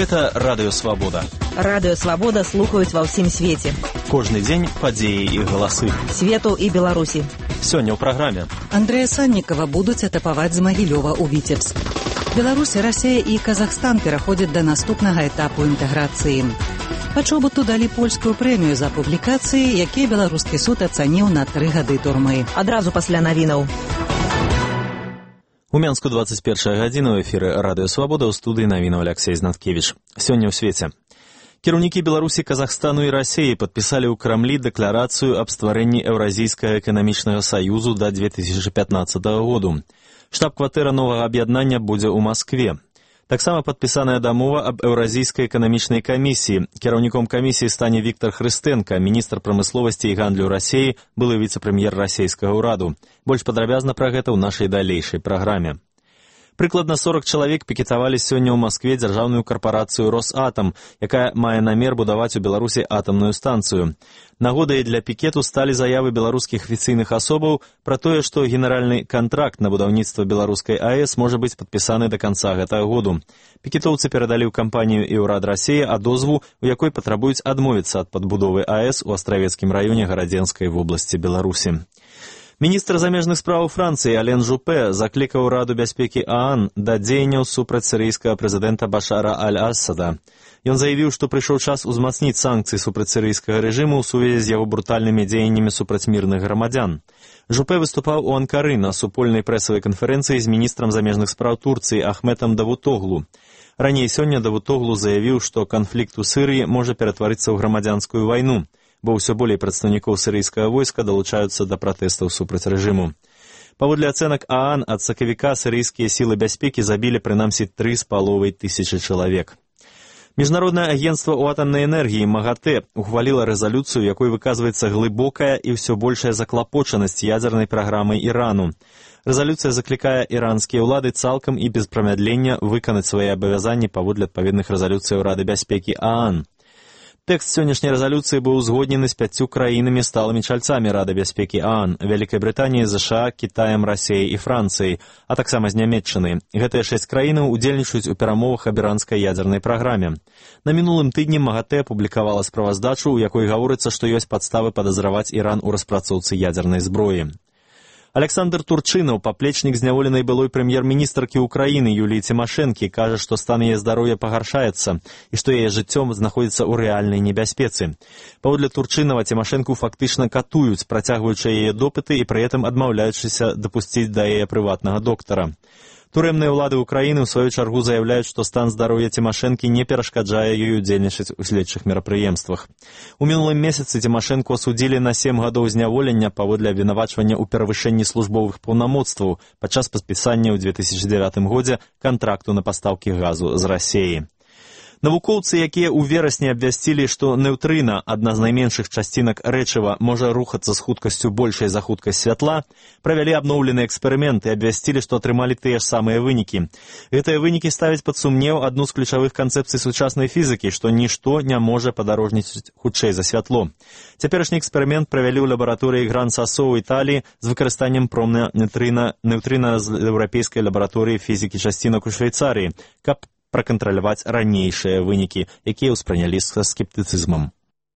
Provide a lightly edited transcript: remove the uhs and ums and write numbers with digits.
Гэта Радыё Свабода. Радыё Свабода слухаюць ва ўсім свеце. Кожны дзень падзеі і галасы. Свету і Беларусі. Сёння ў праграме. Андрэя Саннікава будуць атапаваць з Магілёва ў Віцебск. Беларусь, Расія і Казахстан пераходзяць да наступнага этапу інтэграцыі. Пачобуту далі польскую прэмію за публікацыі, якія беларускі суд ацаніў на 3 гады турмы. Адразу пасля навінаў. У Менску 21 гадзіна ў эфіры Радыё Свабода, ў студыі навінаў Алексей Знаткевіч. Сёння ў свеце. Кіраўнікі Беларусі, Казахстану і Расіі падпісалі ў Крамлі дэкларацыю аб стварэнні Еўразійскага эканамічнага саюзу да 2015 году. Штаб-кватэра новага аб'яднання будзе ў Маскве. Таксама падпісаная дамова аб Еўразійскай эканамічнай камісіі. Кіраўніком камісіі стане Віктор Хрыстэнка, міністр прамысловасці і гандлю Расіі, былы віцэ-прэм'ер расійскага ўраду. Больш падрабязна пра гэта ў нашай далейшай праграме. Прыкладна 40 чалавек пікетавалі сёння ў Маскве дзяржаўную карпарацыю «Росатам», якая мае намер будаваць у Беларусі атамную станцыю. Нагодай для пікету сталі заявы беларускіх афіцыйных асобаў пра тое, што генеральны кантракт на будаўніцтва беларускай АЭС можа быць падпісаны да канца гэтага году. Пікетоўцы перадалі ў кампанію і ўрад Расіі адозву, у якой патрабуюць адмовіцца ад падбудовы АЭС у Астравецкім раёне Гарадзенскай вобласці Беларусі. Міністр замежных справаў Францыі Ален Жупе заклікаў Раду бяспекі ААН да дзеянняў супраць сірыйскага прэзідэнта Башара аль-Асада. Ён заявіў, што прыйшоў час узмацніць санкцыі супраць сірыйскага рэжыму ў сувязі з яго брутальнымі дзеяннямі супраць мірных грамадзян. Жупе выступаў у Анкары на супольнай прэсавай канферэнцыі з міністрам замежных спраў Турцыі Ахметам Давутоглу. Раней сёння Давутоглу заявіў, што канфлікт у Сырыі можа ператварыцца ў грамадзянскую вайну, бо ўсё болей прадстаўнікоў сірыйскага войска далучаюцца да пратэстаў супраць рэжыму. Паводле ацэнак ААН, ад сакавіка сірыйскія сілы бяспекі забілі прынамсі 3500 чалавек. Міжнароднае агенцтва ў атамнай энергіі МАГАТЭ ухваліла рэзалюцыю, якой выказваецца глыбокая і ўсё большая заклапочанасць ядзернай праграмай Ірану. Рэзалюцыя заклікае іранскія ўлады цалкам і без прамядлення выканаць свае абавязанні паводле адпаведных рэзалюцыяў Рады бяспекі ААН. Тэкст сённяшняй рэзалюцыі быў узгоднены з 5 краінамі сталымі чальцамі Рады бяспекі ААН, Вялікай Брытаніяй, ЗША, Кітаем, Расіяй і Францыяй, а таксама з Нямецчынай. Гэтыя 6 краінаў удзельнічаюць у перамовах аб іранскай ядзернай праграме. На мінулым тыдні МАГАТЭ апублікавала справаздачу, у якой гаворыцца, што ёсць падставы падазраваць Іран у распрацоўцы ядзернай зброі. Александр Турчынаў, паплечнік зняволенай былой прэм'ер-міністркі Украіны Юліі Цімашэнкі, кажа, што стан яе здароўя пагаршаецца і што яе жыццё знаходзіцца ў рэальнай небяспецы. Паводле Турчынава Цімашэнку фактычна катуюць, працягваючы яе допыты і пры гэтым адмаўляючыся дапусціць да яе прыватнага доктара. Турэмныя ўлады Украіны ў сваю чаргу заяўляюць, што стан здароўя Цімашэнкі не перашкаджае ёй удзельнічаць у следчых мерапрыемствах. У мінулым месяцы Цімашэнку асудзілі на 7 гадоў зняволення паводле абвінавачвання ў перавышэнні службовых паўнамоцтваў падчас падпісання ў 2009 годзе кантракту на пастаўкі газу з Расіі. Навукоўцы, якія ў верасні абвясцілі, што неўтрына, адна з найменшых часцінак рэчыва, можа рухацца з хуткасцю большай за хуткасць святла, правялі абноўлены эксперымент і абвясцілі, што атрымалі тыя ж самыя вынікі. Гэтыя вынікі ставяць пад сумнеў адну з ключавых канцэпцый сучаснай фізікі, што нішто не можа падарожніць хутчэй за святло. Цяперашні эксперымент правялі ў лабараторыі Гран-Сасо ў Італіі з выкарыстаннем промня неўтрына з еўрапейскай лабараторыі фізікі часцінак у Швейцарыі, каб пракантраляваць ранейшыя вынікі, якія ўспрынялі са скептыцызмам.